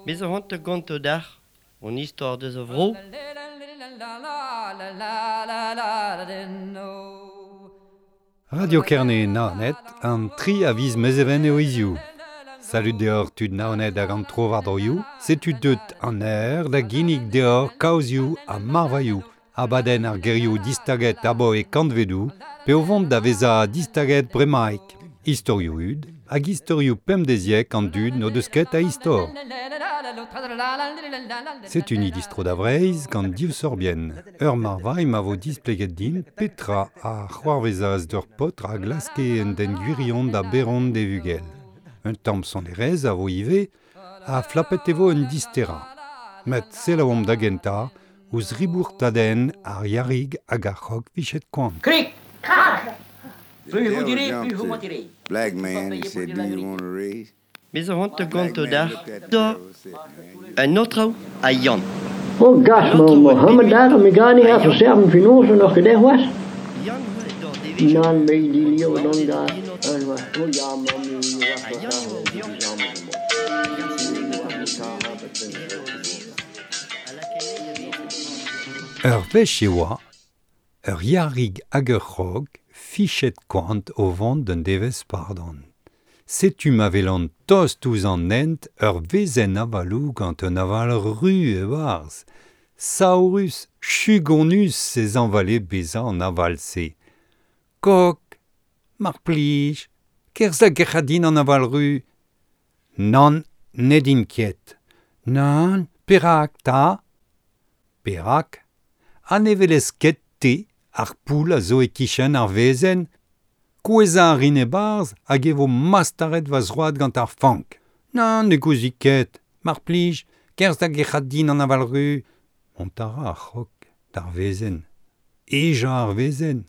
Me zo c'hoant da gontañ deoc'h an istor deus a vro. Radio Kerne Naoned, an 3 a viz Mezheven eo hiziv. Salud deoc'h tud Naoned hag an trowardroioù, setu deut an eur da ginnig deoc'h kaozioù ha marvailhoù, abadenn ar gerioù distaget abaoe kantvedoù, pe o vont da vezañ distaget bremaik. Istorioù hud hag istorioù pemdeziek an dud n'o deus ket a istor. Setu ni distro da Vreizh gant div sorbienn. Ur marvailh ma vo displeget dimp petra a c'hoarvezas d'ur paotr a glaske un den gwirion da baeron d'e vugel. Un tamm sonerezh a vo ivez ha flapet e vo un disterañ. Met selaouomp da gentañ ouzh ribourtadenn ar Yarig hag ar c'hog fichet koant. Krik, krak! The Plus vous devil direz, plus jumped vous to mentirez. black Il faut man and payer pour said, dire Do la you vérité. want a raise? Me zo c'hoant da Black gontañ man deoc'h looked at the da devil and said, Man, you un aotrou ha Yann. Oh, gas, An ma aotrou oa Mohammed pegwir daar, me ga niet ha even Yann. serven finozen nog gedacht was. Yann oa d'ar devezhioù Nan, me die an leeuw dan dornez daar. en En was, oh ja, man, nu was Ha dat Yann daar, oa die o samen A gase gemaakt. a lakae Ur wech e oa, ur yarig hag ur c'hog fichet koant o vont d'un devezh pardon. Setu ma welan tost ouzh an hent ur wezenn avaloù gant un aval ru e-barzh. Saourus, chugonus ez anvale bezañ an aval-se. Kog, mar plij, kerzh da gerc'hat din an aval ru. Nann, ned int ket. Nann, perak 'ta ? Perak ? Ha ne welez ket te ar poull a zo e-kichen ar wezenn ? Kouezhañ a rin e-barzh hag e vo mastaret va zroad gant ar fank. Nann, ne gouzi ket, mar plij, kerzh da gerc'hat din an aval ru. Mont a ra ar c'hog d'ar wezenn. Ejañ ar wezenn.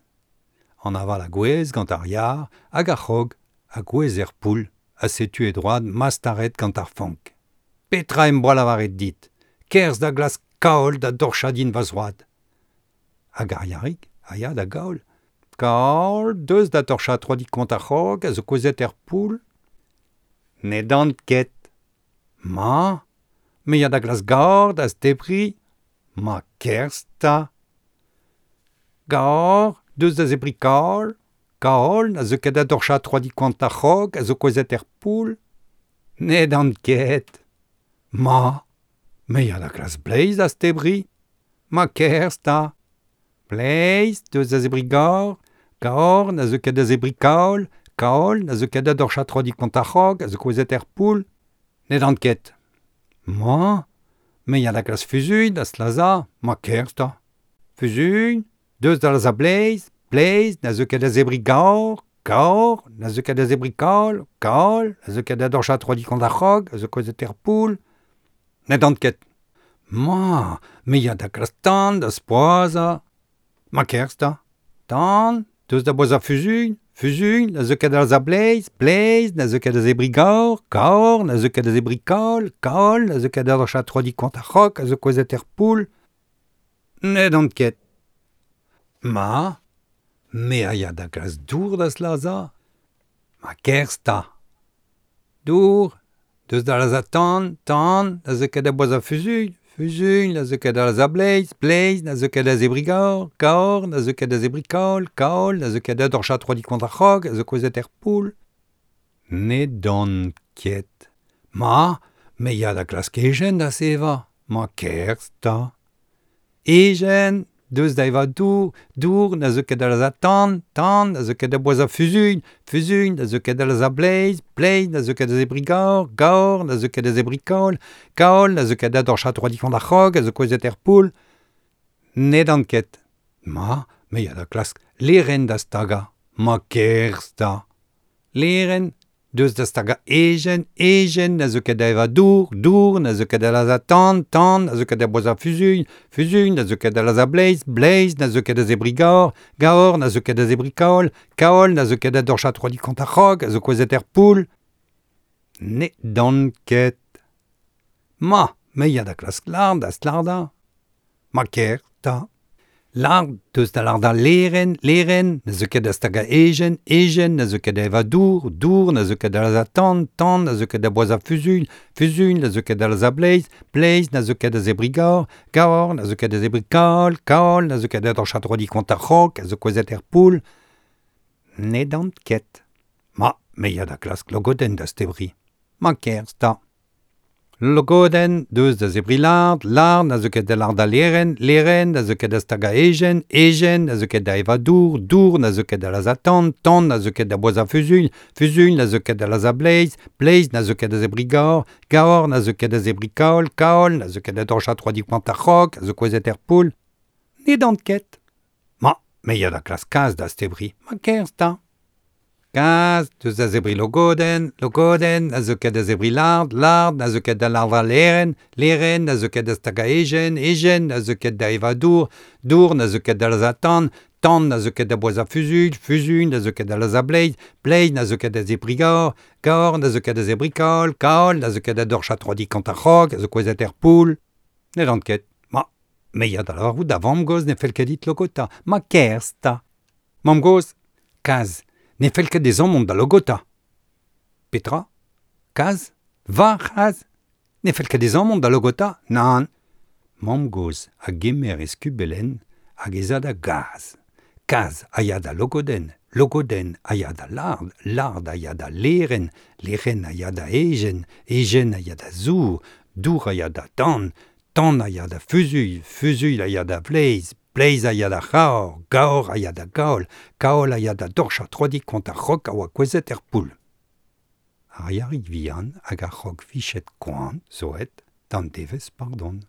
An aval a gouez gant ar yar hag ar c'hog a gouez er poull ha setu e droad mastaret gant ar fank. Petra em boa lavaret dit ? Kerzh da glask kaol da dorchañ din va zroad. Hag ar yarig a ya da gaol. Kaol, deus da torchañ troadig koant ar c'hog a zo kouezhet er poull. Ne dan ket. Ma, me ya da glask gor da zebriñ. Ma kerzh 'ta. Gor, deus da zebriñ kaol. Kaol na zeu ket da dorchañ troadig koant ar c'hog a zo kouezhet er poull. Ne dan ket. Ma, me ya da glask bleiz da zebriñ. Ma kerzh 'ta. Bleiz, deus da zebriñ gor. Gor na zeu ket da zebriñ kaol. Kaol na zeu ket da dorchañ troadig koant ar c'hog a zo kouezhet er poull. Ne dan ket. Ma, me ya da glask fuzuilh da lazhañ. Ma kerzh 'ta. Fuzuilh, deus da lazhañ bleiz. Bleiz na zeu ket da zebriñ gor. Gor na zeu ket da zebriñ kaol. Kaol na zeu ket da dorchañ troadig koant ar c'hog a zo kouezhet er poull. Ne dan ket. Ma, me ya da glask tan da spoazhañ. Ma kerzh 'ta. Tan, deus da boazhañ fuzuilh. Fuzuilh na zeu ket da lazhañ bleiz. Bleiz na zeu ket da zebriñ gor. Gor na zeu ket da zebriñ kaol. Kaol na zeu ket da dorchañ troadig koant ar c'hog a zo kouezhet er poull. Ne dan ket. Ma, me a ya da glask dour da lazhañ. Ma kerzh 'ta. Dour, deus da lazhañ tan, tan na zeu ket da boazhañ fuzuilh. Fuzuilh na zeu ket da lazhañ bleiz. Bleiz na zeu ket da zebriñ gor. Gor na zeu ket da zebriñ kaol. Kaol na zeu ket da dorchañ troadig koant ar c'hog a zo kouezhet er poull. Ne dan ket. Ma, me ya da glask ejen da zevañ. Ma kerzh 'ta. Ejen, deus da evañ dour. Dour na zeu ket da lazhañ tan. Tan na zeu ket da boazhañ fuzuilh. Fuzuilh na zeu ket da lazhañ bleiz. Bleiz na zeu ket da zebriñ gor. Gor na zeu ket da zebriñ kaol. Kaol na zeu ket da dorchañ troadig koant ar c'hog a zo kouezhet er poull. Ne dan ket. Ma, me ya da glask lêrenn da stagañ. Ma kerzh 'ta. Lêrenn, deus da stagañ ejen. Ejen na zeu ket da evañ dour. Dour na zeu ket da lazhañ tan. Tan na zeu ket da boazhañ fuzuilh. Fuzuilh na zeu ket da lazhañ bleiz. Bleiz na zeu ket da zebriñ gor. Gor na zeu ket da zebriñ kaol. Kaol na zeu ket da dorchañ troadig koant ar c'hog a zo kouezhet er poull. Ne dan ket. Ma, me ya da glask lard da slardañ. Ma kerzh 'ta. Lard, deus da larda leren, leren, na zo ket da staga ejen, ejen, na zo ket da eva dour, dour, na zo ket da laza tan, tan, na zo ket da boaza fuzuilh, fuzuilh, na zo ket da laza bleiz, bleiz, na zo ket da zebri gaor, gaor, na zo ket da zebri kaol, kaol, na zo ket da dorcha troadi kont ar c'hog, a zo kouezet er poull. Ne dant ket. Ma, me ya da klask logodenn da stebri. Ma kerzh 'ta. Logodenn, deus da zebri lard, lard, na zo ket da larda leren, leren, na zo ket da staga ejen, ejen, na zo ket da eva dour, dour, na zo ket da laza tan, tan, na zo ket da boaza fuzuilh, fuzuilh, na zo ket da laza bleiz, bleiz, na zo ket da zebri gaor, gaor, na zo ket da zebri kaol, kaol, na zo ket da dorcha troadi koant ar c'hog, a zo kouezet er poull. Ne dant ket. Ma, me ya da klask kaz da stebri, ma kerzh 'ta. Kaz, deus da zebri logodenn, logodenn, na zo ket da zebri lard, lard, na zo ket da larda leren, leren, na zo ket da staga ejen, ejen, na zo ket da eva dour, dour, na zo ket da laza tan, tan, na zo ket da boaza fuzuilh, fuzuilh, na zo ket da laza bleiz, bleiz, na zo ket da zebri gaor, gaor, na zo ket da zebri kaol, kaol, na zo ket da dorcha troadi kant ar c'hog, a zo kouezet er poull. Ne dant ket. Ma, me ya da lavarout da vamm-gozh ne fell ket dit logota. Ma kerzh 'ta. Mamm-gozh, kaz, ne fell ket dezhañ mont da logota. Petra? Kaz? Va c'haz? Ne fell ket dezhañ mont da logota? Nann. Mamm-gozh a gemer e skubelenn hag ez a da gaz. Kaz a ya da logodenn, logodenn a ya da lard, lard a ya da leren, leren a ya da ejen, ejen a ya da zour, dour a ya da dan, tan a ya da fuzuilh, fuzuilh a ya da vleiz, bleiz a ya da c'haor, gaor a ya da gaol, kaol a ya da dorcha troadi kont ar c'hog a oa kouezet er poull. Ar yarig vihan hag ar c'hog fichet koant zo aet d'an devezh pardon.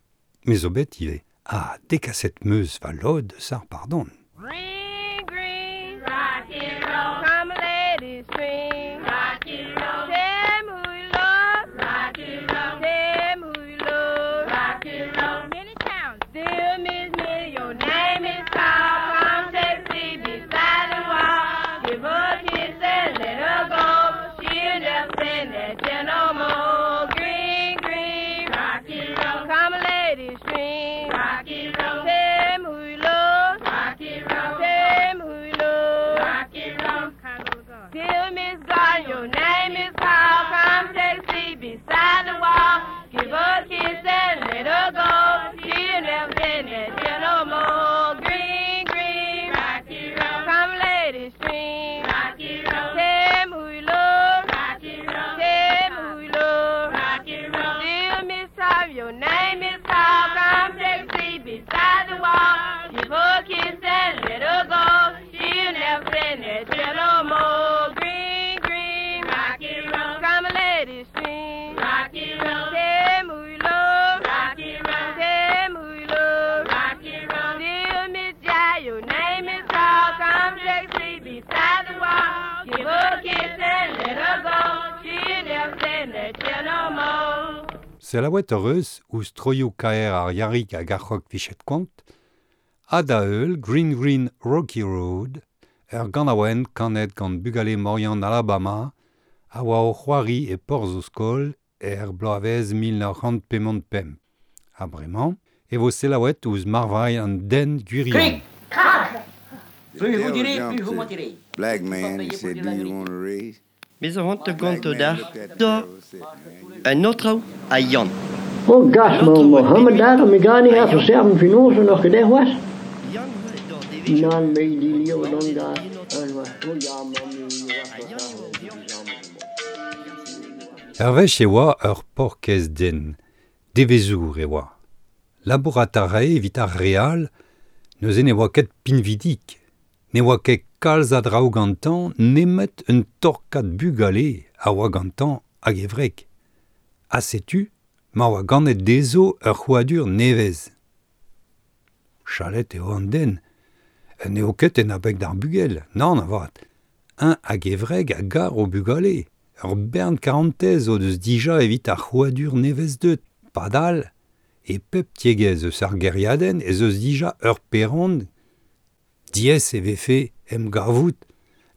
Me zo bet ivez. Ha dekaset 'm eus va lod eus ar pardon. Green, green, rocky road. Come, ladies, string, rocky road. Tell me who you love, rocky road. Tell me who you love, rocky road. Many towns, dear Miss Minnie, your name is called. Come take a seat beside the wall. Give her a kiss and let her go. She'll never send that chair no more. Green, green, rocky road. Come, ladies, string, rocky road. Tell me who you love, rocky road. Tell me who you love, rocky road. Dear Miss Garden, your name is called. Come take a seat beside the wall. Give her a kiss and let her go. She'll never send that chair no more. Green, green, rocky road. Come, ladies, string, rocky road. Tell me who you love, rocky road. Tell me who you love, rocky road. Dear Miss Tom, your name is called. Come take a seat beside the wall. Give her a kiss and let her go. She'll never send that chair no more. Green, green, rocky road. Come, ladies, string, rocky road. Tell me who you love, rocky road. Tell me who you love, rocky road. Dear Miss Jai, your name is called. Come take a seat beside the wall. Give her a kiss and let her go. She'll never send that chair no more. Selaouet hoc'h eus ouzh troioù kaer ar Yarig hag ar c'hog fichet koant, ha da heul Green Green Rocky Road, ur ganaouenn kanet gant bugale Morian Alabama a oa o c'hoari e porzh o skol er bloavezh 1955. Ha bremañ e vo selaouet ouzh marvailh an den gwirion. Plus vous direz, plus vous mentirez. Black man, he said, do you want a raise? Me zo c'hoant da Black gonto man da looked at the da devil and said, man, you un aotrou a Yann. Oh, gas, ma Mohammed daar, mi gani ha verserven finoze nog gedaan was. Nan, me die leeuw dan daar. En was, oh ja, man, Ur wech e oa ur paourkaezh den, devezour e oa. Labourat a rae evit ar re all, neuze ne oa ket pinvidik. Ne oa ket kalz a draoù gantañ nemet un torkad bugale a oa gantañ hag e wreg. Ha setu ma oa ganet dezho ur c'hrouadur nevez. Chalet eo an den. N'eo ket en abeg d'ar bugel, nann avat. Un hag e wreg a gar o bugale. Ur bern karantez o deus dija evit ar c'hrouadur nevez deut. Padal, e pep tiegezh eus ar gêriadenn ez eus dija ur peron. Diaes e vefe em gavout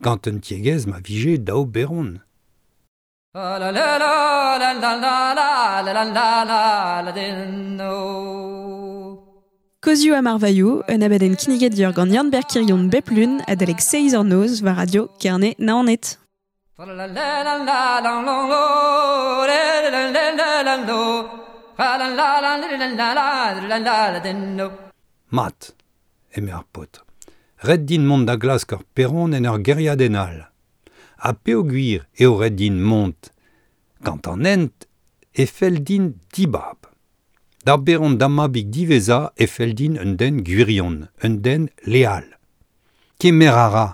gant un tiegezh ma vije daou beron. La la la la la la la la la la la la la. Kozioù ha marvailhoù, un abadenn kinniget dior gant Yann Berkirion bep lun adalek 6 ur noz war radio Kerne Naoned. Mat, eme ar paotr. Ret din mont da glask ur peron en ur gêriadenn all. Ha peogwir eo ret din mont. Gant an hent e fell din dibab. Da beron da mabig diwezhañ e fell din un den gwirion, un den leal. Kemer a ra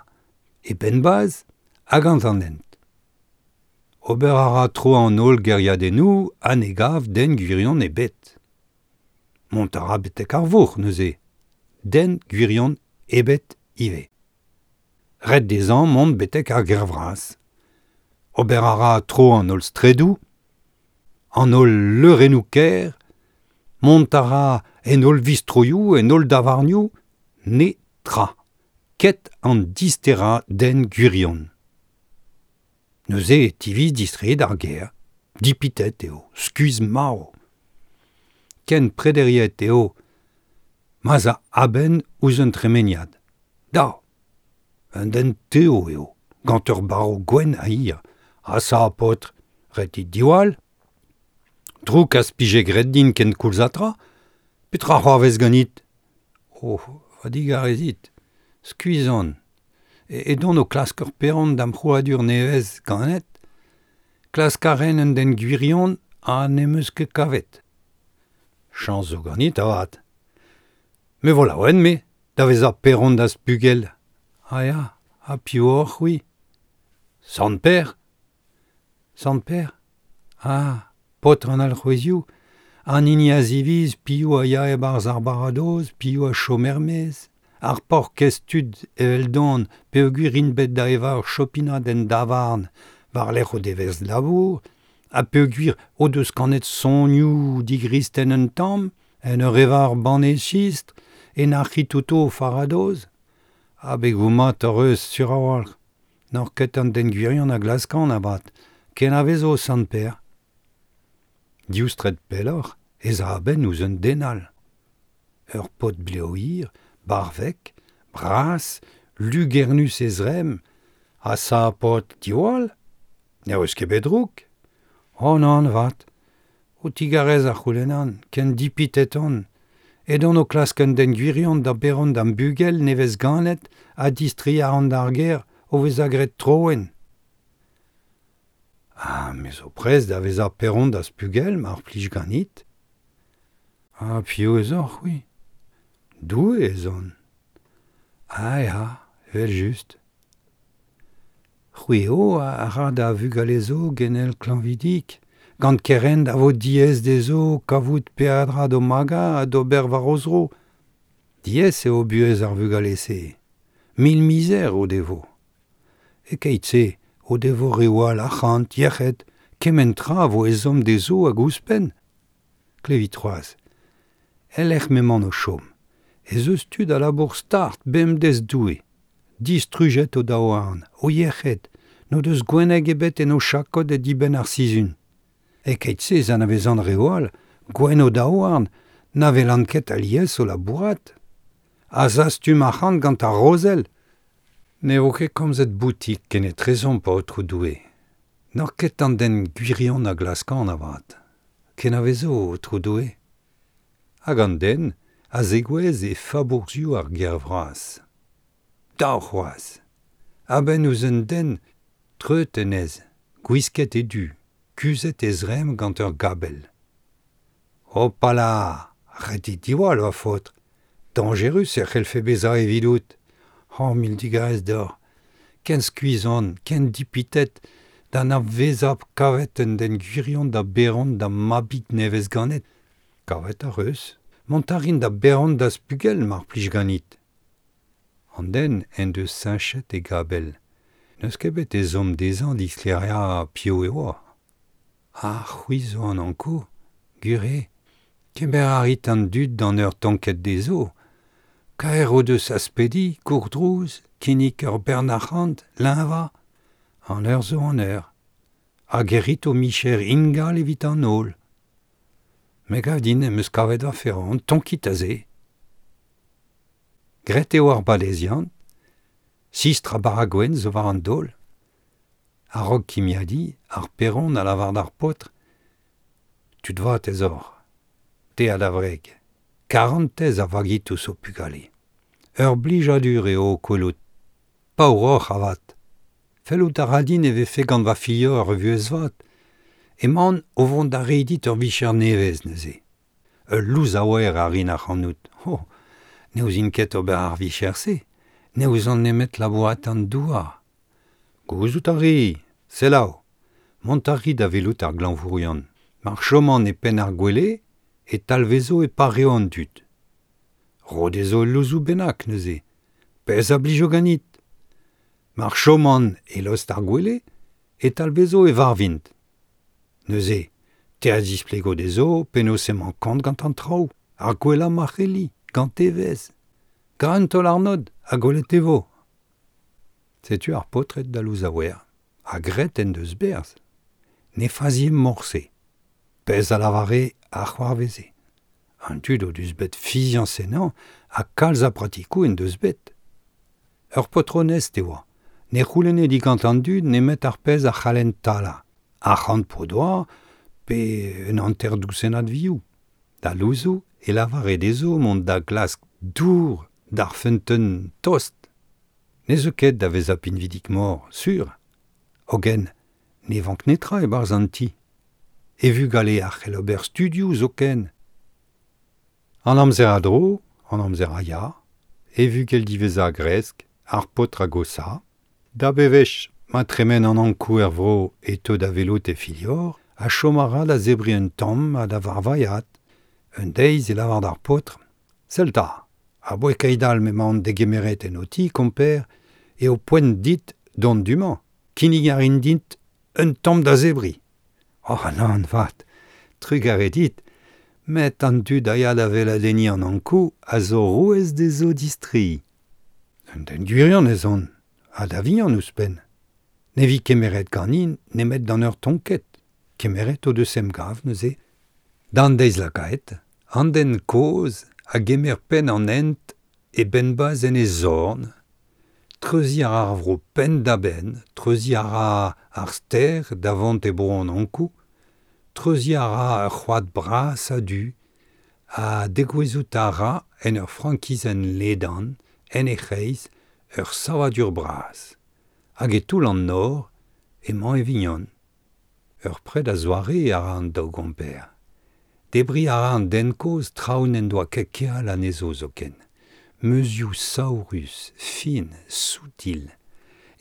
e penn-bazh ha gant an hent. Ober a ra tro an holl gêriadennoù ha ne gav den gwirion ebet. Mont a ra betek ar vourc'h neuze. Den gwirion ebet ivez. Ret dezhañ mont betek ar gêr vras. Ober a ra tro an holl straedoù, an holl leurennoù kêr, mont a ra en holl vistroioù, en holl davarnioù, netra. Ket an disterañ den gwirion. Neuze e tiviz distreiñ d'ar gêr. Dipitet eo, skuizh-marv. Ken prederiet eo ma'z a a-benn ouzh un tremeniad. Da, un den tev eo, gant ur barv gwenn ha hir. Ha sa, paotr, ret dit diwall. Drouk az pije graet din ken koulz ha tra. Petra c'hoarvez ganit? Oh, va digarezit. Skuizh on. Edon o klask ur peron da'm c'hrouadur nevez ganet. Klask a ren un den gwirion ha n'em eus ket kavet. Chañs zo ganit avat. Me vo laouen, me, da vezañ peron da'z pugel. Ah ya, ha piv oc'h, c'hwi? Sant Per. Sant Per? Ah, paotr an alc'hwezioù, an hini a ziviz piv a ya e-barzh ar baradoz, piv a chom er-maez. Ar paourkaezh tud eveldon peogwir int bet da evañ ur chopinad en davarn war-lerc'h o devezh labour, ha peogwir o deus kanet sonioù digristen un tamm, en ur evañ ur banne sistr, e nac'hit outo o faradoz. Abegoù mat hoc'h eus sur a-walc'h. N'oc'h ket an den gwirion a glaskan avat, kenavezo Sant Per. Div straed pelloc'h ez a a-benn ouzh un den all. Ur paotr blev hir, barvek, bras, lugernus e zremm, ha sa paotr diwall. Ne eus ket bet drouk. Oh nann 'vat. Ho tigarez a c'houlennan, ken dipitet on. Edon o klask un den gwirion da beron da'm bugel nevez ganet ha distreiñ a ran d'ar gêr o vezañ graet troenn. Ha me zo prest da vezañ peron da'z pugel mar plij ganit. Ha piv ez oc'h, c'hwi? Doue ez on. Ah ya, evel-just. C'hwi eo a ra da vugale zo genel klañvidik, gant kerent a vo diaes dezho kavout peadra d'o magañ ha d'ober war o zro. Diaes eo buhez ar vugale-se. Mil mizer o devo. E-keit-se o devo reoù all arc'hant, yec'hed, kement tra a vo ezhomm dezho hag ouzhpenn. Klevit c'hoazh. El lec'h m'emaon o chom, ez eus tud a labour start bemdez Doue. Distrujet o daouarn, o yec'hed, n'o deus gwenneg ebet en o chakod e dibenn ar sizhun. E-keit-se ez anavezan reoù all, gwenn o daouarn, na welan ket alies o labourat. A zastum arc'hant gant ar rozell. Ne vo ket komzet boutik kenetrezomp, Aotrou Doue. N'oc'h ket an den gwirion a glaskan avat. Kenavezo, Aotrou Doue. Hag an den a zegouezh e fabourzhioù ar gêr vras. Dav c'hoazh. A-benn ouzh un den treut hennezh, gwisket e du, kuzhet e zremm gant ur gabell. Hopala! Ret eo diwall, va faotr. Dañjerus e c'hellfe bezañ evidout. Oh, mil digarez deoc'h. Ken skuizh on, ken dipitet, da na vezañ kavet un den gwirion da beron da'm mabig nevez ganet. Kavet ac'h eus. Mont a rin da beron da'z pugel mar plij ganit. An den en deus sañchet e gabell. N'eus ket bet ezhomm dezhañ disklêriañ piv e oa. Ha c'hwi zo an Ankou, gwir eo. Kemer a rit an dud d'an eur tonket dezho. Kaer o deus aspediñ, gourdrouz, kinnig ur bern arc'hant, leñvañ. An eur zo an eur. Hag e rit ho micher ingal evit an holl. Me gav din em eus kavet va feron, tonkit aze. Graet eo ar badeziant, sistr ha bara gwenn zo war an daol. A-raok kimiadiñ, ar paeron a lavar d'ar paotr, Tud vat ez oc'h, te ha da wreg, karantez a vagit ouzh ho pugale. Ur blijadur eo ho kwelout. Paour oc'h avat. Fellout a ra din e vefe gant va filhor ur vuhez vat. Emaon o vont da reiñ dit ur vicher nevez neuze. Ul louzaouer a rin ac'hanout. Oh, ne ouzin ket ober ar vicher-se. Ne ouzon nemet labourat an douar. Gouzout a ri, selaou. Mont a ri da welout ar glañvourion. Mar choman e penn ar gwele e talvezo e pareo an dud. Ro dezho ul louzoù bennak neuze. Pezh a blijo ganit. Mar choman e lost ar gwele e talvezo e varvint. Neuze, te a zisplego dezho penaos emañ kont gant an traoù, ar gwellañ ma c'helli, gant evezh. Gra un taol-arnod ha gwelet e vo. Setu ar paotred da louzaouer, ha graet en deus berzh. Ne fazie morse. Pezh a lavare a c'hoarveze. An dud o deus bet fiziañs ennañ ha kalz a bratikoù en deus bet. Ur paotr onest e oa. Ne c'houlenne digant an dud nemet ar pezh a c'hallent talañ. Arc'hant p'o doa pe un hanter dousennad vioù. Da louzoù e lavare dezho mont da glask dour d'ar feunteun tost. Ne zeu ket da vezañ pinvidik-mor, sur. Hogen, ne vank netra e-barzh an ti. E vugale a c'hell ober studioù zoken. An amzer a dro, an amzer a ya, e vugel diwezhañ a gresk, ar paotr a gosa. Da bewech ma tremen an Ankou er vro e teu da welout e filhor, ha chom a ra da zebriñ un tamm ha da varvailhat. Un deiz e lavar d'ar paotr, Sell 'ta, aboae keit-all m'emaon degemeret en ho ti, komper, eo poent dit dont du-mañ. Kinnig a rin dit un tamm da zebriñ. Oh nann 'vat, trugarez dit, met an dud a ya da weladenniñ an Ankou a zo rouez dezho distreiñ. Un den gwirion ez on, ha da vihan ouzhpenn. Ne vi kemeret ganin nemet d'an eur tonket. Kemeret o deus emgav neuze. D'an deiz lakaet, an den kozh a gemer penn an hent e benn-bazh en e zorn, Treuziñ a ra ar vro penn-da-benn, treuziñ a ra ar stêr da vont e bro an Ankou, treuziñ a ra ur c'hoad bras ha du, ha degouezhout a ra en ur frankizenn ledan, en he c'hreiz, ur savadur bras. Hag e toull an nor emañ e vignon. Ur pred a-zoare a ra an daou gomper. Debriñ a ra an den kozh traoù n'en doa ket keal anezho zoken. Meuzioù saourus, fin, soutil.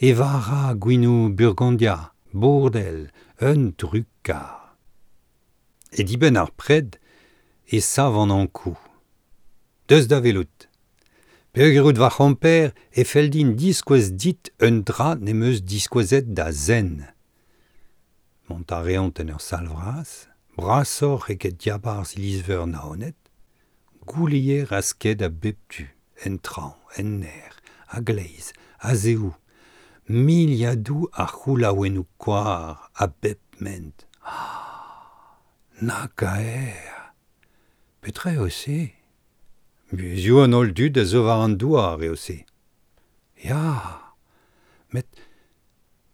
Evañ a ra gwinoù Burgondia, Bourdel, un drugar. E dibenn ar pred e sav an Ankou. Deus da welout. Peogwir out va c'homper e fell din diskouez dit un dra n'em eus diskouezet da zen. Mont a reont en ur sal vras, brasoc'h eget diabarzh iliz-veur Naoned, Gouleier a sked a bep tu, en traoñ, en nec'h, a-gleiz, a-zehou, miliadoù a c'houlaouennoù koar a bep ment. Ah! Na kaer! Petra eo se? Buhezioù an holl dud a zo war an douar eo se. Ya! Met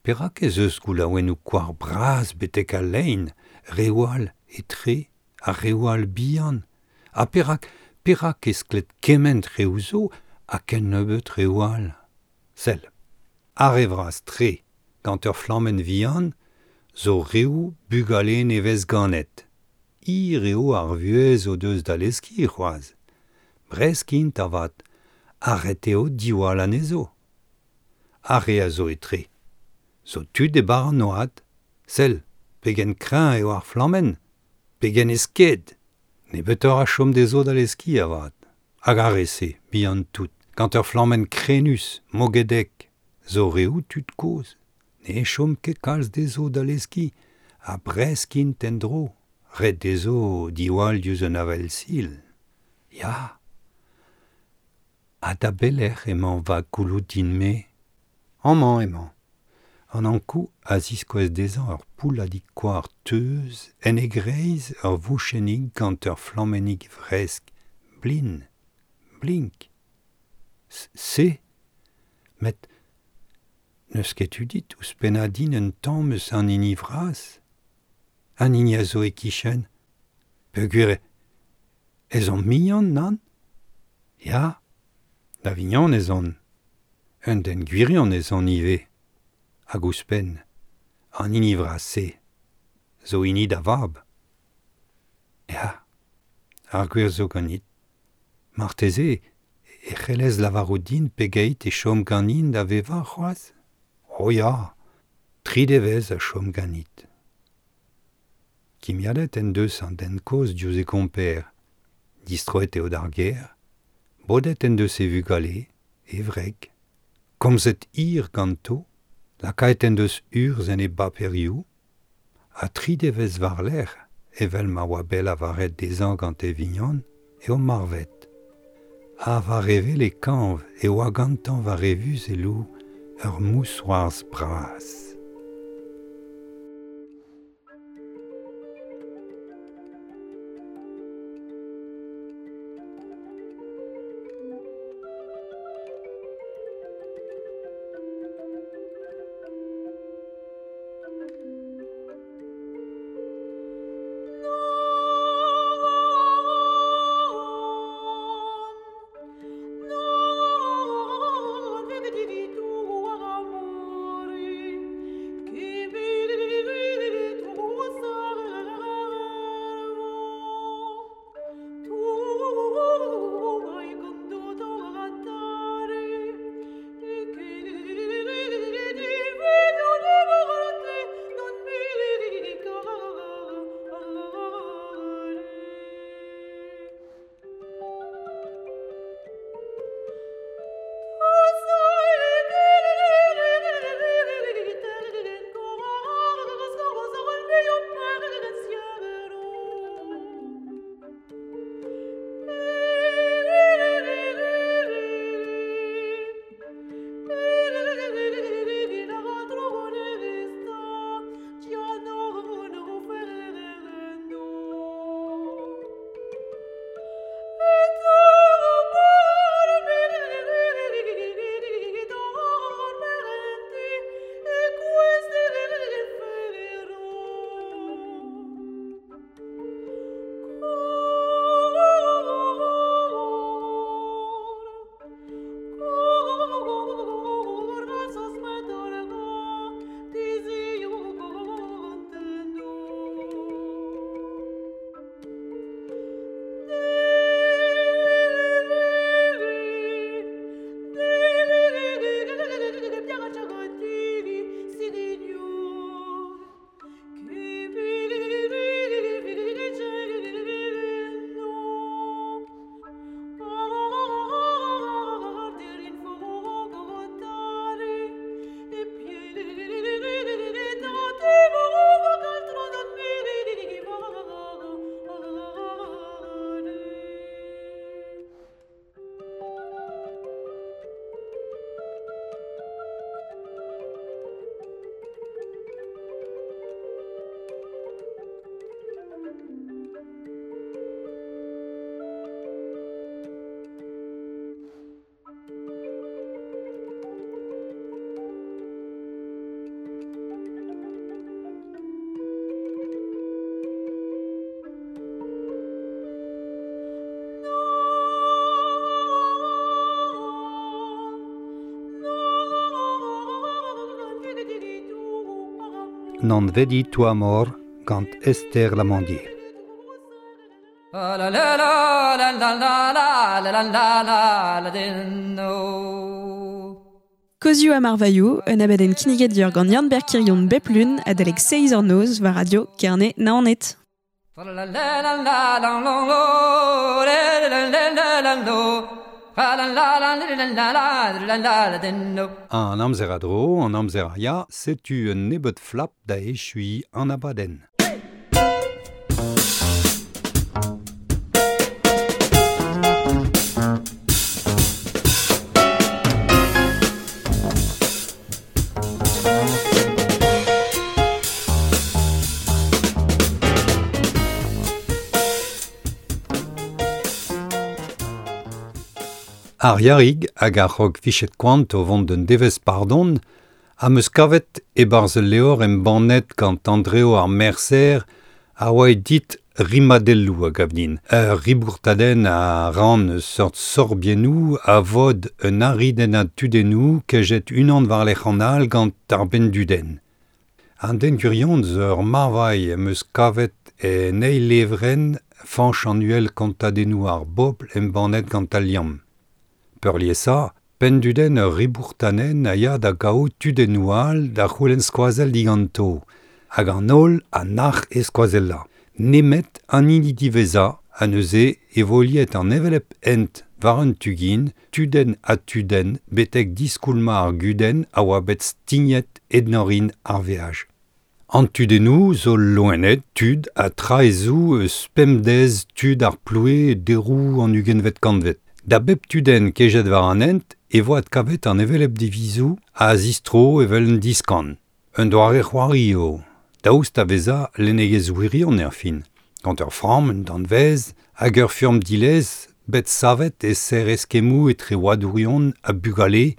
perak ez eus goulaouennoù koar bras betek al lein, reoù all etre ha reoù all bihan? Ha perak, perak e skled kement reoù zo ha ken nebeut reoù all? Sell, ar re vras-tre, gant ur flammenn vihan, zo reoù bugale nevez ganet. Hir eo ar vuhez o deus da leskiñ c'hoazh. Bresk int avat, ha ret eo diwall anezho. Ar re a zo etre zo tud e barr an oad. Sell, pegen kreñv eo ar flammenn, pegen e sked! Nebeutoc'h a chom dezho da leskiñ avat. Hag ar re-se, bihan-tout, gant ur flammenn krenus, mogedek, zo reoù tud kozh. Ne chom ket kalz dezho da leskiñ, ha bresk int en-dro, ret dezho diwall diouzh un avel-sil. Ya! Ha da belec'h emañ va gouloù din-me? Amañ emañ. An Ankou a ziskouez dezhañ ur poulladig koar teuz, en e greiz ur vouchennig gant ur flammennig vresk, blin, blink. Se, met n'eus ket tu dit ouzhpennañ din un tamm eus an hini vras. An hini a zo e-kichen. Peogwir ez on mignon, nann? Ya, da vignon ez on. Un den gwirion ez on ivez. Hag ouzhpenn, an hini vras-se zo hini da vab. Ya, ar gwir zo ganit. Marteze e c'hellez lavarout din pegeit e chom ganin da vevañ c'hoazh? Oh ya, tri devezh a chom ganit. Kimiadet en deus an den kozh diouzh e gomper. Distroet eo d'ar gêr, bodet en deus e vugale, e wreg, komzet hir ganto, lakaet en deus urzh en e baperioù, ha tri devezh war-lerc'h, evel ma oa bet lavaret dezhañ gant e vignon, eo marvet. Ha war e wele kañv e oa gantañ war e vuzelloù ur mousc'hoarzh bras. Non vedi tu amor gant Esther Lamandier. La la la la la la la la la la no. Kozioù ha marvailhoù, un abadenn kinniget dior gant Yann-Ber Kirion bep lun adalek 6 eur noz war radio Kerne Naoned. La la la la la la la la la. An amzer a dro, an amzer a ya, setu un nebeud flap da echui an abadenn. Ar yarig hag ar c'hog fichet koant o vont d'un devez pardon am eus kavet e-barzh ul levr embannet gant Andreo ar Mercer a oa dit rimadelloù a gav din. Ur ribourtadenn a ran eus seurt sorbiennoù a vod un aridennad tudennoù kejet unan war-lerc'h an all gant ar benndudenn. An den gwirion zo ur marvailh am eus kavet en eil levrenn Fañch an Uhel kontadennoù ar bobl embannet gant Al Liamm. Peurliesañ, penndudenn ur ribourtanenn a ya da gaout tudennoù all da c'houlenn skoazell diganto, hag an holl a nac'h e skoazellañ. Nemet an hini diwezhañ ha neuze e vo liet an hevelep hent war un tu-gin, tudenn ha tudenn betek diskoulmañ ar gudenn a oa bet stignet ennorin ar veaj. An tudennoù zo loened, tud ha traezoù eus pemdez tud ar ploue deroù an ugentvet kantved. Da bep tudenn kejet war an hent e vo adkavet an hevelep divizoù a zistro evel un diskan. Un doare c'hoari eo, daoust a vezañ lennegezh wirion er fin. Gant ur framm, un danvez, hag ur furm dilez bet savet e serr eskemmoù etre oadourion ha bugale.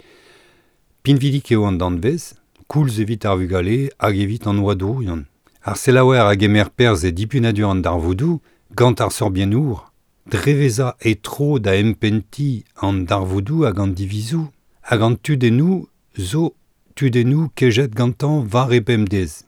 Pinvidik eo an danvez, koulz evit ar vugale hag evit an oadourion. Ar selaouer a gemer perzh e dipunadur an darvoudoù gant ar sorbiennour. Drevezañ e tro da empentiñ an darvoudoù hag an divizoù hag an tudennoù zo tudennoù kejet gantañ war e bemdez.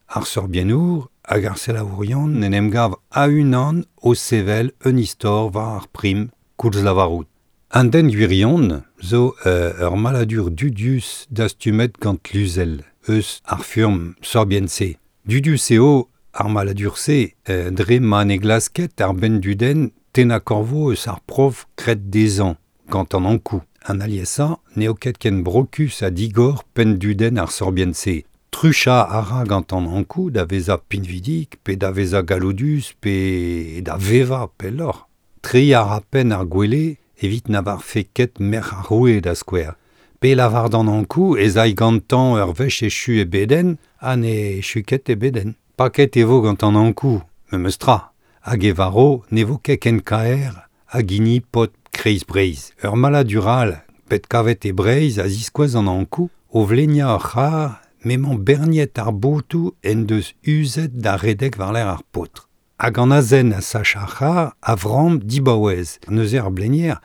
Ar sorbiennour hag ar selaourion en em gav a-unan o sevel un istor war ar prim koulz lavarout. An den gwirion zo ur maladur dudius dastumet gant Luzel, eus ar furm sorbienn-se. Dudius eo ar maladur-se dre ma ne glasket ar benndudenn tennañ korvo eus ar prof graet dezhañ gant an Ankou. An aliesañ n'eo ket ken brokus ha digor penndudenn ar sorbienn-se. Truchañ a ra gant an Ankou da vezañ pinvidik, pe da vezañ galloudus, pe da vevañ pelloc'h. Treiñ a ra penn ar gwele evit na varfe ket merc'h ar roue da skouer. Pe lavar d'an Ankou ez ay gantañ ur wech echu e bedenn ha ne echu ket e bedenn. Paket e vo gant an Ankou, memes tra. Hag e varo ne vo ket ken kaer hag hini paotr kreiz Breizh. Ur maladur all bet kavet e Breizh a ziskouez an Ankou o vleniañ ur c'harr m'emañ berniet ar botoù en deus uzet da redek war-lerc'h ar paotr. Hag an azen a sach ar c'harr a vramm dibaouez. Neuze ar blenier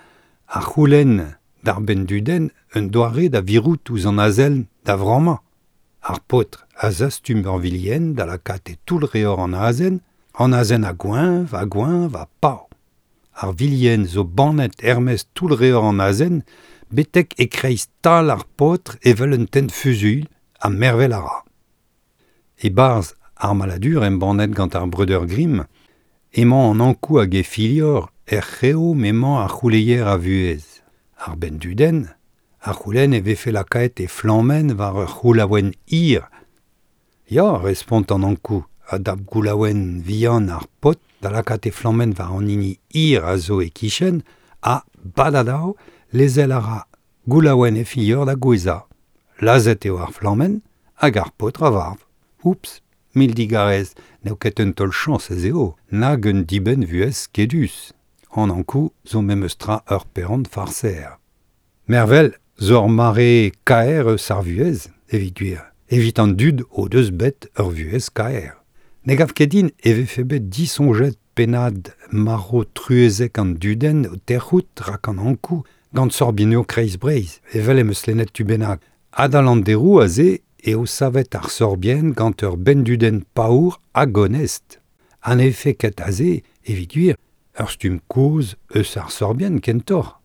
a c'houlenn d'ar benndudenn un doare da virout ouzh an azen da vrammañ. Ar paotr a zastum ur vilienn da lakaat e toull reor an azen a goeñv, a goeñv, a pav. Ar vilienn zo bannet er-maez toull reor an azen, betek e-kreiz tal ar paotr evel un tenn fuzuilh ha mervel a ra. E-barzh ar maladur embannet gant ar breudeur Grimm, emañ an Ankou hag e filhor er c'heo m'emañ ar c'houleier a vuhez. Ar benndudenn, ar c'houlenn e vefe lakaet e flammenn war ur c'houlaouenn hir. Ya, respont an Ankou, a dap goulaouenn vihan ar paotr da lakaat e flammenn war an hini hir a zo e-kichen ha, badadav, lezel a ra goulaouenn e filhor da gouezhañ. Lazhet eo ar flammenn hag ar paotr a varv. Oups, mil digarez, n'eo ket un taol chañs ez eo, nag un dibenn vuhez skedus. An Ankou zo memes tra ur perront farser. Mervel zo ur mare kaer eus ar vuhez, evit gwir. Evit an dud o deus bet ur vuhez kaer. Ne gav ket din e vefe bet disoñjet pennad marv truezek an dudenn o tec'hout rak an Ankou gant sorbiennoù kreiz Breizh, evel em eus lennet tu bennak. Adal an deroù aze eo savet ar sorbienn gant ur benndudenn paour hag onest. An efe ket aze, evit gwir, ur stumm kozh eus ar sorbienn kentoc'h.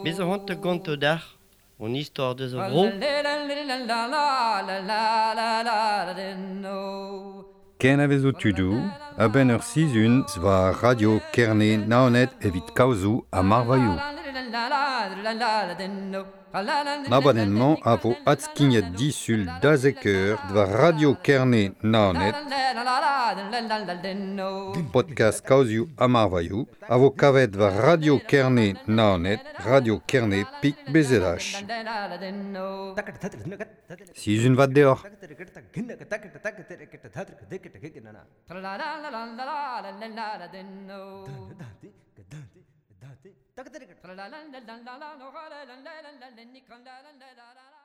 Bez zo c'hoant gonto dac'h, on istor deus ar vro. Ken a vezo tudoù, a-benn ur sizhun war Radio Kerne Naoned evit kaozoù ha marvailhoù. An abadenn-mañ a vo adskignet disul da zek eur war Radio Kerne Naoned, podcast kaozioù ha marvailhoù, a vo kavet war Radio Kerne Naoned, Radio Kerne pik BZH. Sizhun vat deoc'h. La la la la la la la la la la la.